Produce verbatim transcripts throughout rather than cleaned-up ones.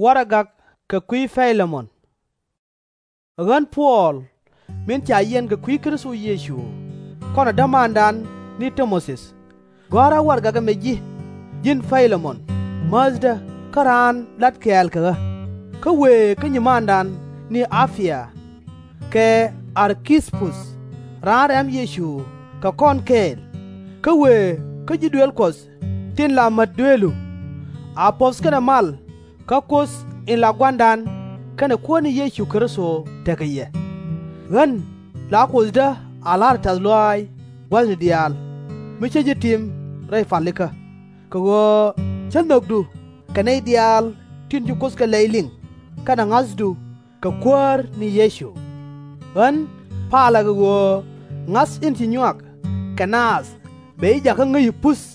Warɛgak kɛ kui̱ Pay-lɛ-mɔn. Ɛ ɣän Puɔl, min ca yiɛn kɛ kui̱ Kritho Yecu, kɔnɛ dämandan ni Ti-mo-thi, gɔ̱a̱rä warɛgak ɛmɛ ji̱, ji̱n Pay-lɛ-mɔn, määthdä kä raan lat kɛɛl kɛ ɣä, kä wëë kä nyimandan ni A-pi-a, kɛ Ar-ki-pu-th, raan rɛm Yecu kɛ kɔn kɛɛl, kä wëë kä ji̱ duëël Kuɔth tin la mät dueelu. A puɔ̱th kɛnɛ mal kä Kuoth in la Gua̱a̱ra kɛnɛ Kuäär ni Yecu Kritho tekɛ yɛ. Ɣän la Kuothdä a la̱rä tɛ̈th lɔaac gua̱thni diaal, mi cä ji̱ tim rɛy palikä, kɛ ɣöö cä nhökdu kɛ nɛy diaal tin ci Kuoth kɛ lɛy liŋ kɛnɛ ŋa̱thdu kɛ Kuäär ni Yecu. Ɣän palä kɛ ɣöö ŋa̱th in ci nyuak kɛ naath bɛ ji̱ jakä ŋäc i̱ puth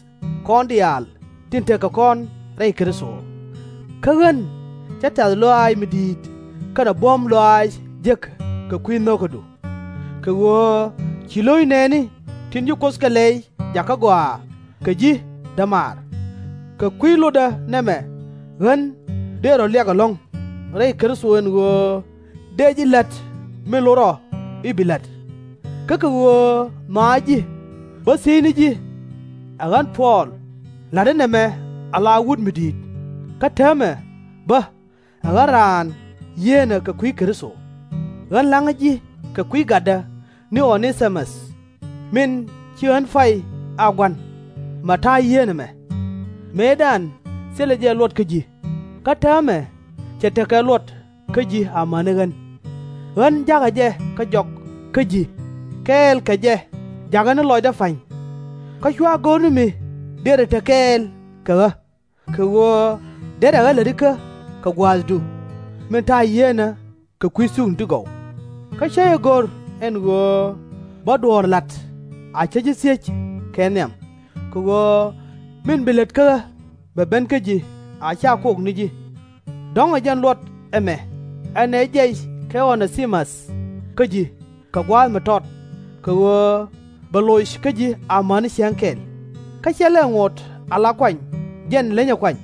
kɔn diaal tin tekɛ kɔn rɛy Kritho. Kä ɣän cä tɛ̈th lɔaac mi di̱i̱t kɛnɛ buɔ̱m lɔaac jek kɛ kui̱ nho̱kädu, kɛ ɣöö ci lo̱c nɛɛni tin ci Kuoth kɛ lɛy jakä gɔaa kɛ ji̱ dämaar. Kɛ kui̱ lotdä nɛmɛ ɣän dee rɔ liak ɛlɔ̱ŋ rɛy Kritho ɛn ɣöö dee ji̱ la̱t min lot rɔ i̱ bi la̱t. Kä kɛ ɣöö nhɔakä ji̱ bä thiecni ji̱, ɛ ɣän Puɔl, la̱tdä nɛmɛ ala wut mi di̱i̱t, kä täämɛ bä ɛ ɣän raan yieenä kɛ kui̱ Kritho. Ɣän la̱ŋä ji̱ kɛ kui̱ gatdä ni O-nɛ-ti-mäth, min ci ɣän pay a gua̱n, mɛ ta̱a̱ yieenä mɛ. Mëëdan thilɛ jɛ luɔt kä ji̱, kä täämɛ cɛ tekɛ luɔt kä ji̱ amäni ɣän. Ɣän ja̱kä jɛ kä jɔk kä ji̱, kɛɛl kɛ jɛ jakä ni lɔcdä pa̱ny. Kä /cua go̱r ni mi derɛ te kɛɛl kɛ ɣä, kɛ ɣöö derɛ ɣä lätikä kɛ gua̱a̱thdu, min ta̱a̱ yieenä kɛ kui̱ thukni ti gɔw. Kä /cä jɛ go̱r ɛn ɣöö bä duɔ̱ɔ̱r la̱t a cä ji̱ thiec kɛ nhiam, kɛ ɣöö min bi lät kä ɣä bɛ ben kä ji̱ a /ca kok ni ji̱. Dɔ̱ŋ ɛ jɛn luɔt ɛmɛ, ɛn ɛ jɛc kɛ O-nɛ-ti-mäth kä ji̱ kɛ gua̱a̱th mi tɔt, kɛ ɣöö bɛ loc kä ji̱ amäni ciaŋ kɛl. Kä /cɛ lɛ ŋot ala kuany jɛn lenyɛ kuany,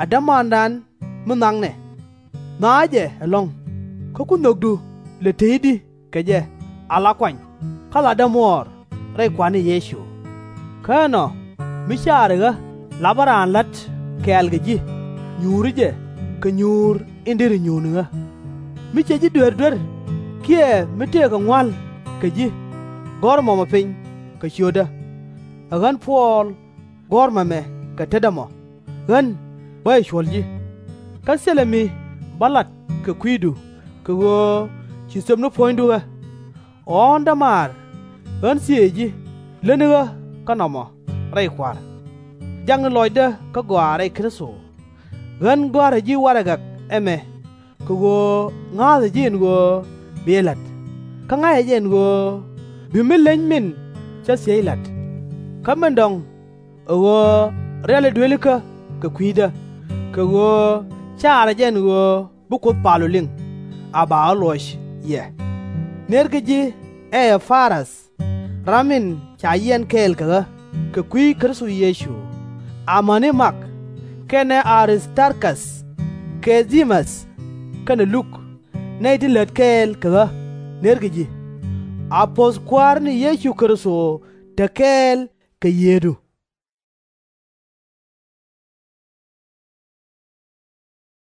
a dämandan mi nhɔaknɛ. Nhɔakä jɛ ɛlɔ̱ŋ, kä ku nhökdu lɛ tey i̱di kɛ jɛ ala kuany kä latdä muɔɔr rɛy Kua̱r ni Yecu. Kä ɛnɔ, mi caari ɣä lapä raan la̱t kɛɛl kɛ ji̱, nyuuri jɛ kɛ nyuur in deri nyuur ni ɣä. Mi cɛ ji̱ duer duer kiɛ mi tëëkɛ ŋua̱l kɛ ji̱, gɔ̱r mɔmɔ piny kɛ ciötdä. Ɛ ɣän Puɔl gɔ̱r mɛmɛ kɛ tetdä mɔ, ɣän bä jɛ cuɔ̱l ji̱. Kä thilɛ mi bä lat kɛ kui̱du kɛ ɣöö ci thöpni puɔ̱nydu ɣä. Ɣɔ̱ɔ̱n dämaar, ɣän thiëëc ji̱ lätni ɣä kä nɔmɔ rɛy Kua̱r. Jakni lɔcdä kä gɔaa rɛy Kritho. Ɣän gɔ̱a̱rä ji̱ warɛgak ɛmɛ kɛ ɣöö ŋa̱a̱thä ji̱ ɛn ɣöö bi jɛ la̱t, kä ŋa̱cä jɛ ɛn ɣöö bi mi leny min cä thiec la̱t. Kä min dɔ̱ŋ, ɛ ɣöö riali duëëlikä kɛ kui̱dä, kɛ ɣöö caarä jɛ ɛn ɣöö bi Kuoth pal ɔ liŋ, a ba ɣä luɔc yɛ. Nërkɛ ji̱ Ɛ-pa-rath, ram in ca yiɛn kɛɛl kɛ ɣä kɛ kui̱ Kritho Yecu, amäni Mak, kɛnɛ A-ris-tar-ka̱th, kɛ Dɛ-mäth, kɛnɛ Luk, nɛy ti lät kɛɛl kɛ ɣä, nërkɛ ji̱. A puɔ̱th Kua̱r ni Yecu Kritho te kɛɛl kɛ yiëëdu.